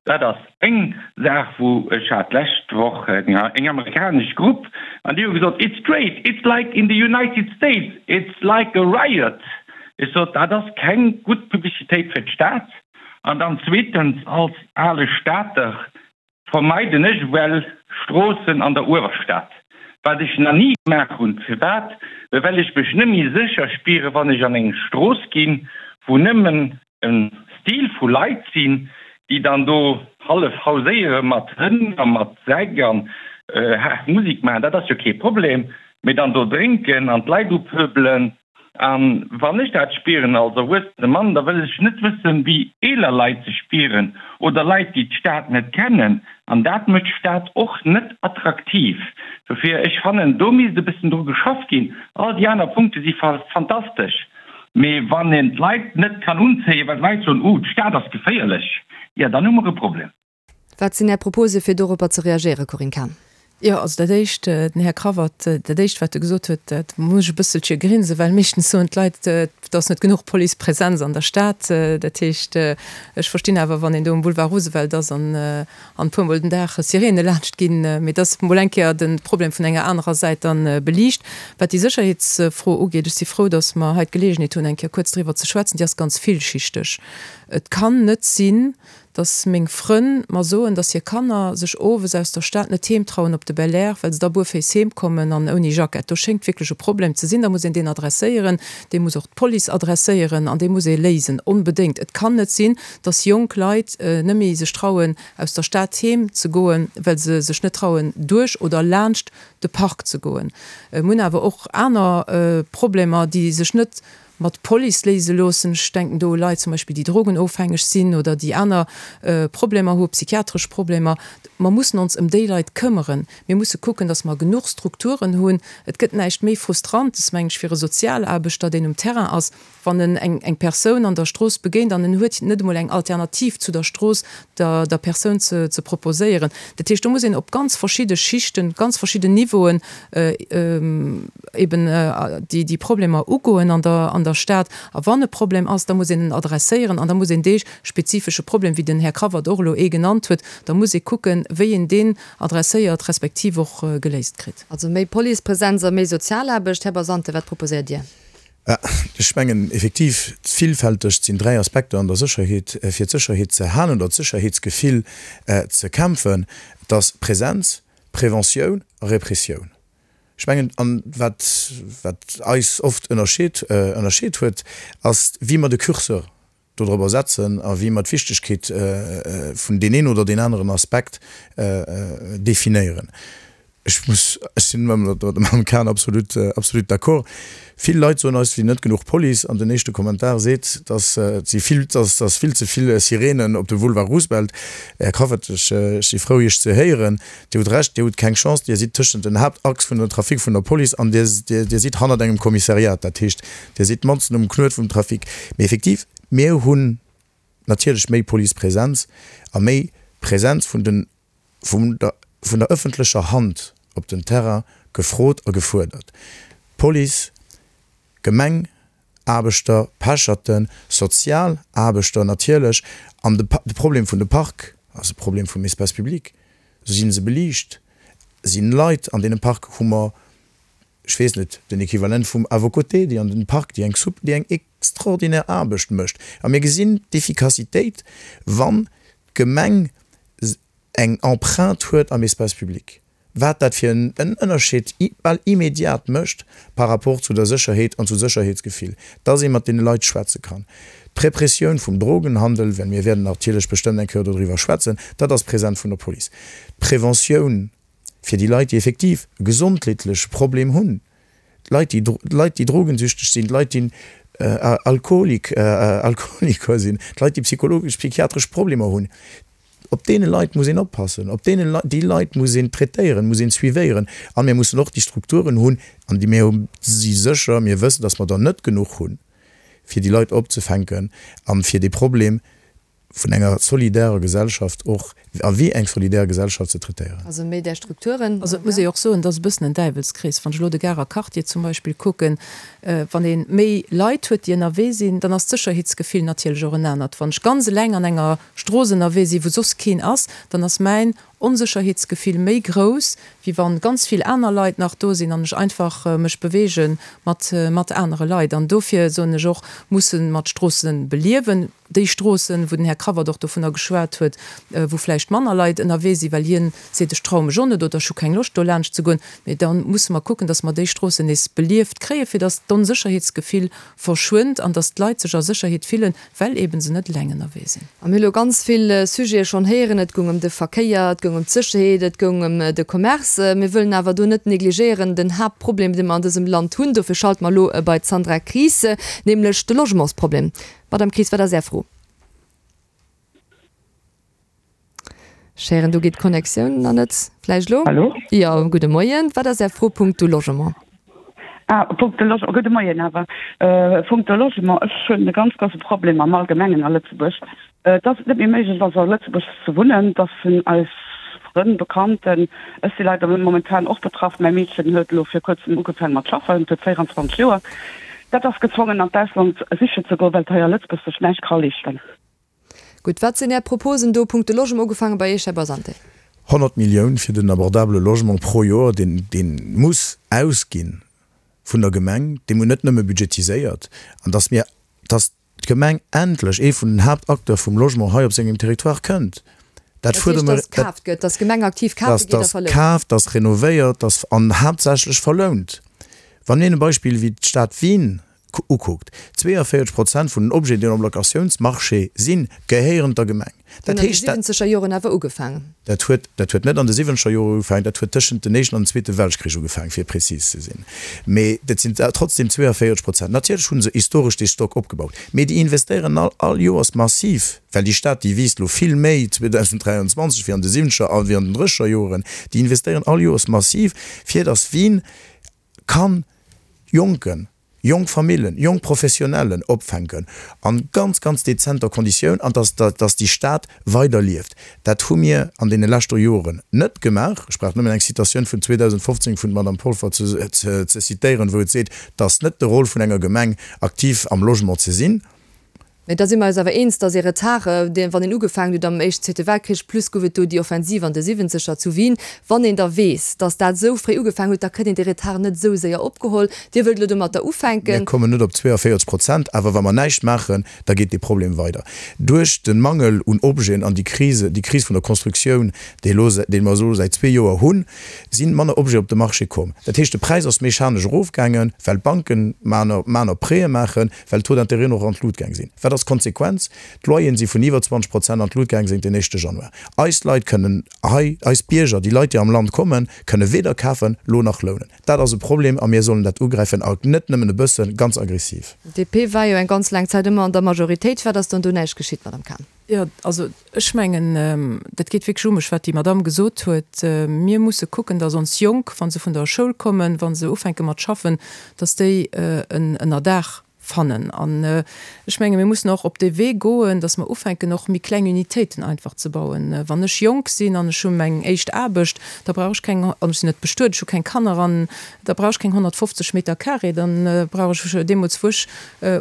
S10: Dat ass eng Saach, wou ech hat d'lescht Woch eng amerikanesch Grupp an déi hu gesot, It's great, it's like in the United States, it's like a riot. Ech sot, dat ass keng gutt Publicitéit fir d'Stad. An dann zweetens, als ale Stater, vermeiden ech ewell Stroossen an der Uewerstad, wat ech na ni gemaach hunn. Firwat? Well ech mech nëmmi sécher spieren, wann ech an eng Strooss ginn, wou nëmmen e Stil vu Leit sinn, déi dann do hallef hauséiere mat Hënn a mat Säck an haart Musek maachen. Dat ass jo kee Problem, mee dann do drénken an d'Leit upöbelen, A wann ech dat spieren als erwuessene Mann, da wëll ech net wëssen, wéi eeler Leit sech spieren oder Leit, déi d'Stad net kennen. An dat mécht d'Stad och net attraktiv. Dofir, ech fannen, do misst e bëssen dru geschafft ginn. All déi aner Punkte si fantastesch, mee wann een d'Leit net kann unzéien, well d'Leit soen, Uh, d'Stad ass geféierlech, jo, dann hu mer e Problem.
S4: Wat sinn Är Propose fir doropper ze reagéieren, Corinne Cahen?
S7: Jo, also dat Éischt, den Här Cravat, dat Éischt wat e gesot huet, dat muss ech e bësselche grinsen, well meeschtens soen d'Leit, et ass net genuch Policepresenz an der Stad. Dat heescht, ech verstinn awer, wann een do um Boulevard Roosevelt ass an an e puermol den Dag Sirene laanscht ginn, mee dat ass mol eng Kéier de Problem vun enger anerer Säit dann beliicht. Wat déi Sécherheetsfro ugeet, ech si frou, datt mer hei d'Geleegenheet hunn, eng Kéier kuerz driwwer ze schwätzen, déi ass ganz villschichteg. Et kann net sinn, dass meng Frënn mer soen, dass hir Kanner sech owes aus der Stad net heem trauen op de Belair, well se da buerféiss heem kommen an ouni Jackett. Do schéngt wierklech e Problem ze sinn. Da muss een deen adresséieren, dee muss och d'Police adresséieren an dee muss ee léisen, onbedéngt. Et kann net sinn, dass jonk Leit net méi sech trauen, aus der Stad heem ze goen, well se sech net trauen, duerch oder laanscht de Park ze goen. Mir hunn awer och aner Problemer, déi sech net. mat Police léise loossen. Ech denken do u Leit zum Beispill, déi drogenofhängeg sinn oder déi aner Problemer hu, psychiatresch Problemer. Mer mussen ons ëm déi Leit këmmeren. Mir musse kucken, dass mer genuch Strukturen hunn. Et gëtt näischt méi Frustrantes, mengen ech, fir e Sozialaarbechter, deen um Terrain ass, wann en eng eng Persoun an der Strooss begéint an en huet net emol eng Alternativ zu der Strooss der der Persoun ze ze proposéieren. Dat heescht, do muss een op ganz verschidde Schichten, ganz verschidden Niveauen eben déi déi Problemer ugoen an der an der Stad. A wann e Problem ass, da muss een en adresséieren an da muss een dee spezifesche Problem, wéi den Här Cravat och elo ee genannt huet, da muss ee kucken, wéi een deen adresséiert respektiv och geléist kritt.
S4: Also méi Policepresenz a méi Sozialaarbecht. Här Basante, wat proposéiert Dir?
S5: Ech mengen effektiv, villfälteg sinn 3 Aspekter an der Sécherheet, fir d'Sécherheet ze halen oder d'Sécherheetsgefill ze kämpfen. Et ass Präsenz, Preventioun a Repressioun. Ech mengen, an wat, wat eis oft ënnerscheet, ënnerscheet huet, ass wéi mer de Curseur dodrobber setzen a wéi mer d'Wichtegkeet vun deen een oder deen aneren Aspekt definéieren. Ech muss, ech sinn mat der Mme Cahen absolut, absolut d'accord. Vill Leit soen eis, et wier net genuch Police an den éischte Kommentar seet, dass et si vill, dass, dass vill ze vill Sirenen op dem Boulevard Roosevelt. Här Cravat, ech, ech si frou Iech ze héieren. Dir hutt Recht, Dir hutt keng Chance, Dir sidd tëschent den Haaptachs vun der Trafic vun der Police an Dir, Dir, Dir sidd hannert engem Kommissariat. Dat heescht, Dir sidd matzen um Knuet vum Trafic. Mee effektiv, mir hunn natierlech méi Policepresenz a méi Presenz vun den, vun der, vun der ëffentlecher Hand op den Terrain gefrot a gefuerdert. Police, Gemeng, Aarbechter, Pecherten, Sozialaarbechter natierlech an de, de Problem vun de Park ass e Problem vum Espace public. Sinn se beliicht? Sinn Leit an deene Park? Hu mer ech weess net, den Equivalent vum À vos côtés, déi an den Park, déi eng sup, déi eng extraordinär Aarbecht mécht. A mir gesinn d'Efficacitéit, wann d'Gemeng eng Empreinte huet am Espace public, wat dat fir en Ënnerscheed bal immediat mécht par rapport zu der Sécherheet an zum Sécherheetsgefill, dass ee mat deene Leit schwätze kann. D'Repressioun vum Drogenhandel, well mir wäerten natierlech bestëmmt eng Kéier dodriwwer schwätzen, dat ass present vun der Police. D'Preventioun fir déi Leit, déi effektiv e gesondheetleche Problem hunn, d'Leit, déi, d'Leit, déi drogensüchteg sinn, d'Leit, déi Alkoholik, Alkoholiker sinn, d'Leit, déi psychologesch, psychiatresch Problemer hunn, op deene Leit muss een oppassen, op deene Leit, déi Leit muss een traitéieren, muss een suivéieren. A mir mussen och déi Strukturen hunn, an déi mir si sécher, mir wëssen, datt mer der net genuch hunn, fir déi Leit opzefänken a fir dee Problem vun enger solidairer Gesellschaft och a wéi eng solidaire Gesellschaft ze traitéieren.
S4: Also méi där Strukturen.
S7: Also et muss ee jo och soen, et ass e bëssen en Däiwelskrees. Wann ech elo de Garer Quartier zum Beispill kucken, wann ee méi Leit huet, déi ënnerwee sinn, dann ass d'Sécherheetsgefill natierlech och en anert. Wann ech ganz eleng an enger Strooss ënnerwee sinn, wou soss keen ass, dann ass mäin Onsécherheetsgefill méi grouss, wéi wann ganz vill aner Leit nach do sinn an ech einfach mech beweege mat mat anere Leit. An dofir soen ech och, musse mer d'Stroosse beliewen. Déi Stroossen, wou den Här Cravat och dovunner geschwat huet, wou vläicht manner Leit ënnerwee sinn, well hien seet, ech traue mech och net oder ech hu keng Loscht do laanscht ze goen, mee da musse mer kucken, datt mer déi Stroossen nees belieft kréien, fir datt d'Onsécherheetsgefill verschwënnt an datt d'Leit sech a Sécherheet fillen, well eeben se net eleng ënnerwee sinn.
S4: A mir hu lo ganz vill Sujete schonn héieren. Et goung ëm de Verkéier, et goung ëm d'Sécherheet, et goung ëm de Commerce. Mir wëllen awer do net negligéieren den Haaptproblem, dee mer an dësem Land hunn. Dofir schalte mer elo bei d'Sandra Kries, nämlech de Logementsproblem. Madame Kries, wat ass Är Fro? Ech héieren, do geet d'Connectioun nach net. Vläicht elo?
S11: Hallo?
S4: Jo, gudde Moien. Wat ass Är Fro punkto Logement?
S11: Ah, punkto Logement. Gudde Moien awer. Punkto Logement, ech hunn e ganz grousse Problem am Allgemengen a Lëtzebuerg, dass et net méi méiglech ass a Lëtzebuerg ze wunnen, dass vun eis Frënn, Bekannten, ech si leider momentan och betraff, mäi Meedchen huet elo vir kuerzem ugefaangen mat schaffen, huet 24 Joer, dat ass gezwongen an d'Ausland sichen ze goen, well et hei a Lëtzebuerg sech näischt ka leeschten.
S4: Gutt, wat sinn Är Proposen do punkto Logement, ugefaange bei Iech, Här Basante?
S5: 100 Millioun fir den abordabele Logement pro Joer, deen dee muss ausgi vun der Gemeng, dee muss net nëmme budgetiséiert, an dass mir, dass d'Gemeng endlech ee vun den Haaptacteur vum Logement hei op sengem Territoire kënnt.
S4: Dat fuerdere mer. Dat heescht, dass kaaft gëtt, dass d'Gemeng aktiv kafe geet a
S5: verlount. Dass kaaft, dass renovéiert, dass an haaptsächlech verlount. Wann een e Beispill wéi d'Stad Wien. ukuckt, 42 Prozent vun den Objeten, déi am Locatiounsmarché sinn, gehéieren der Gemeng.
S4: Dat heescht, dat. Huet an de siwwenzeger Joren awer ugefaangen.
S5: Dat huet, dat huet net an de siwwenzeger Joren ugefaangen, dat huet tëschent den Éischten an den Zweete Weltkrich ugefaangen, fir prezis ze sinn. Mee dat sinn trotzdem 42 Prozent. Natierlech hu se historesch dee Stock opgebaut, mee déi investéieren all, all Joers massiv, well déi Stad, déi wiisst elo vill méi 2023 wéi an de siwwenzeger a wéi an den drësseger Joren, déi investéieren all Joers massiv, fir datt Wien kann Jonken, jonk Famillen, jonk Professionellen opfänken an ganz, ganz dezenter Konditioun an dass, dass déi Stad weider lieft. Dat hu mir an deene leschter Joren net gemaach. Ech brauch nëmmen eng Citatioun vun 2015 vun Madame Polfer ze, ze citéieren, wou et seet, 't ass net de Rôle vun enger Gemeng, aktiv am Logement ze sinn.
S4: Mä da si mer eis awer eens, datt ee Retard, dee wann een ugefaangen huet am Éischten, Zweete Weltkrich, plus gouf et do déi Offensiv an de Siwwenzeger zu Wien, wann een da weess, datt dat esou fréi ugefaangen huet, da kritt een dee Retard net esou séier opgeholl. Dir wëllt elo domatter ufänken.
S5: Mir kommen net op 42 Prozent, awer wa mer näischt maachen, da geet dee Problem weider. Duerch de Mangel un Objeten an déi Krise, déi Kris vun der Constructioun, déi elo, déi mer elo säit zwee Joer hunn, si manner Objeten op de Marché komm. Dat heescht, de Präis ass mechanesch erofgaangen, well d'Banken maner, maner Prêtë maachen, well d'Taux d'intérêten och an d'Lut gaang sinn. Wat ass d'Konsequenz? D'Loyeren si vun iwwer 20 Prozent an d'Lut gaang séint den éischte Januar. Eis Leit kënnen hei, eis Bierger, déi Leit, déi am Land kommen, kënne weder kafen, lo nach lounen. Dat ass e Problem a mir sollen dat ugräifen a net nëmmen e bëssen, ganz aggressiv.
S4: DP war jo eng ganz laang Zäit ëmmer an der Majoritéit. Firwat ass dann do näischt geschitt, Madame Cahen?
S7: Jo, also ech mengen, dat geet wierklech u mech, wat déi Madamm gesot huet. Mir musse kucken, datt ons Jonk, wa se vun der Schoul kommen, wa se ufänke mat schaffen, datt déi en Ënnerdaach fannen. An ech menge mir mussen och op dee Wee goen, datt mer ufänken och méi kleng Unitéiten einfach ze bauen. Wann ech jonk sinn an ech hu meng éischt Aarbecht, da brauch ech keng, an ech sinn net bestuet, ech hu keng Kanner, an da brauch ech keng 150 Meter carré, da brauch ech deemools, wou ech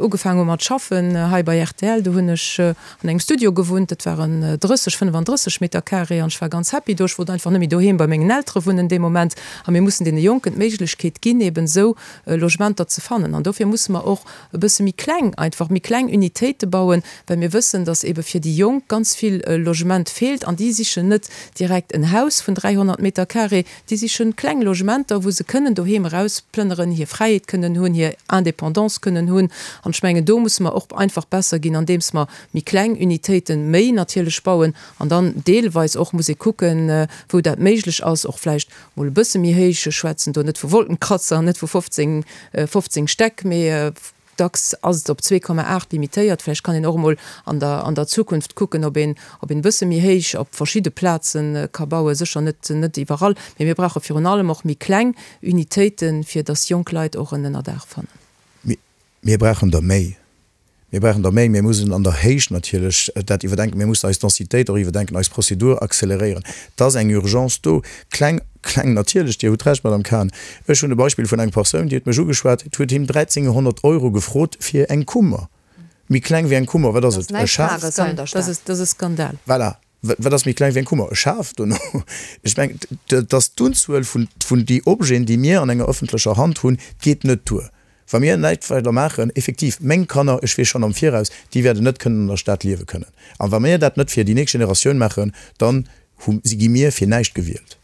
S7: Ugefaang hu mat schaffen hei bei rtl, do hunn ech an engem Studio gewunnt, dat waren 30, 35 Meter carré an ech war ganz happy do. Ech wollt einfach net méi doheem bei mengen Eltere wunnen dee Moment. A mir mussen deene Jonken d'Méiglechkeet ginn, eben esou Logementer ze fannen. An dofir musse mer och e bësse méi kleng, einfach méi kleng Unitéite bauen, well mir wëssen, datt ebe fir déi Jonk ganz vill Logement feelt an déi sichen net direkt en Haus vun 300 Meter carré, Déi sichen kleng Logementer, wou se kënnen doheem erausplënneren, hir Fräiheet kënnen hunn, hir Indépendance kënnen hunn. An ech mengen, do musse mer och einfach besser ginn, andeems mer méi kleng Unitéiten, méi natierlech bauen an dann deelweis och muss ee kucken, wou dat méiglech ass, och vläicht mol e bësse méi héich. Ech schwätzen do net vu Wolkenkratzer, net vu 15, 15 Stäck, mee Dacks ass et op 2,8 limitéiert. Vläicht kann een och emol an der an der Zukunft kucken, ob een ob een e bësse méi héich op verschidde Plaze ka bauen. Sécher net net iwwerall, mee mir brauche virun allem och méi kleng Unitéiten, fir datt jonk Leit och en Ënnerdaach fannen.
S5: Mir brauchen der méi. Mir brauchen der méi. Mir mussen an der Héicht natierlech dat iwwerdenken. Mir mussen eis Densitéit och iwwerdenken, eis Prozedur acceleréieren. Et ass eng Urgence do. Kleng Kleng, natierlech, Dir hutt Recht, Madame Cahen. Ech hunn e Beispill vun engem Persoun, déi huet mech ugeschwat, huet him 1.300 Euro gefrot fir eng Kummer. Méi kleng wéi eng Kummer, wat ass et? E Schaf?
S7: Dat ass e Skandal.
S5: Voilà. Wat ass méi kleng wéi eng Kummer? E Schaf dono. Ech mengen, dass d'Unzuel vun, vun déi Objeten, déi mir an enger öffentlecher Hand hunn, geet net duer. Wa mir näischt weider maachen, effektiv, meng Kanner, ech weess schonn am Viraus, déi wäerten net kënnen an der Stad liewe kënnen. A wa mir dat net fir déi nächst Generatioun maachen, dann hu si, gi mir fir näischt gewielt.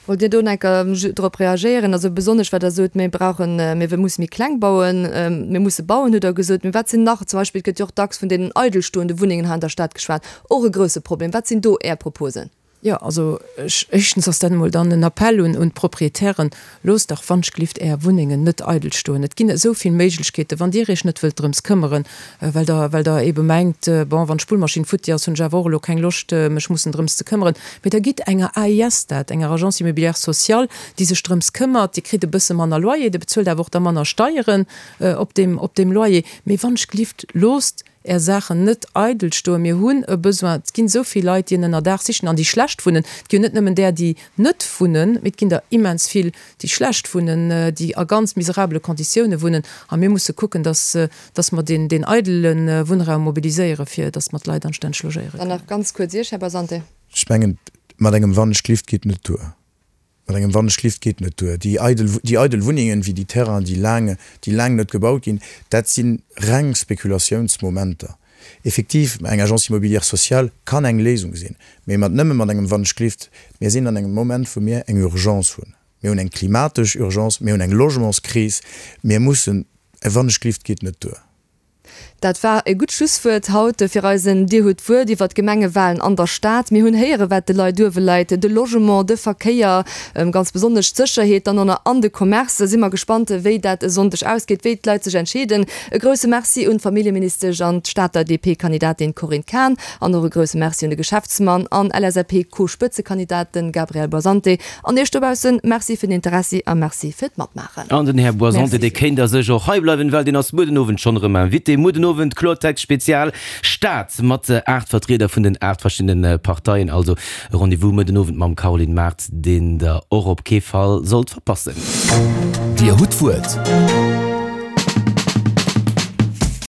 S4: Wollt Dir do enker drop reagéieren? Also besonnesch wat Der sot, mir brauchen, mir musse méi kleng bauen, mir musse bauen, hutt Der gesot. Mee wat sinn nach, zum Beispill, et gëtt jo och dacks vun deenen eidelstoende Wunnengen hei an der Stad geschwat, och e grouse Problem. Wat sinn do Är Proposen?
S7: Jo, also ech, éischtens ass dat emol dann en Appell un un d'Proprietären, Loosst dach wannschglift Är Wunnengen net eidel stoen. Et ginn esou vill Méiglechkeeten, wann Dir Iech net wëllt drëms këmmeren, well Der, well Der eebe mengt, bon, wann d'Spullmaschinn futti ass, hunn ech awer och elo keng Loscht, mech mussen drëms ze këmmeren. Mee da gitt enger AIS dat, enger Agence immobilière sociale, déi sech drëms këmmert. Dir kritt e bësse manner Loyer, Dir bezuelt awer och da manner Steieren op deem, op deem Loyer. Mee wannschglift, loosst Är Saachen net eidel stoen. Mir hunn e Besoin. Et ginn esou vill Leit, déi en Ënnerdaach sichen an déi schlecht wunnen. Et gi jo net nëmmen där, déi net wunnen, mee et ginn der immens vill, déi schlecht wunnen, déi a ganz miserabele Konditioune wunnen. A mir musse kucken, dass, dass mer deen, deen eidele Wunnraum mobiliséieren, fir dass mer d'Leit anstänneg logéiere
S4: Dann kënnen. nach ganz kuerz Iech, Här Basante.
S5: Ech mengen, mat engem Wannechlift geet net duer. Mat engem Wannechlift geet net duer. Déi eidel, déi eidel Wunnengen, wéi déi Terrainen, déi laang, déi laang net gebaut ginn, dat si reng Spekulatiounsmomenter. Effektiv, eng Agence immobilière sociale kann eng Léisung sinn, mee mat nëmme mat engem Wannechlift. Mir sinn an engem Moment, wou mir eng Urgence hunn. Mir hunn eng klimatesch Urgence, mir hunn eng Logementskris. Mir mussen. Wannechglift geet net duer.
S4: Dat war e gutt Schlusswuert haut fir eisen Dir hutt d'Wuert iwwer d'Gemengewalen an der Stad. Mir hunn héieren, wat de Leit uewe läit, de Logement, de Verkéier, ganz besonnesch d'Sécherheet dann och an de Commerce. Si mer gespannt, wéi dat e Sonndeg ausgeet, wéi d'Leit sech entscheeden. E grousse Merci un d'Familljeministesch an d'Stater DP-Kandidatin Corinne Cahen an och e grousse Merci un de Geschäftsmann an LSAP-Co-Spëtzekandidat, de Gabriel Boisante. An Iech dobaussen, Merci fir den Interessi a Merci fir d'Matmaachen.
S3: An den Här Boisante, dee kéint a sech och hei bleiwen, well deen ass muer den Owend schonn erëm Invité. Muer den Owend Kloertext Spezial Stad mat 8 Vertrieder vun den 8 verschiddene Parteien. Also e Rendez-vous muer den Owend mam Caroline Mart, deen der och op kee Fall sollt verpassen.
S2: Dir hutt d'Wuert.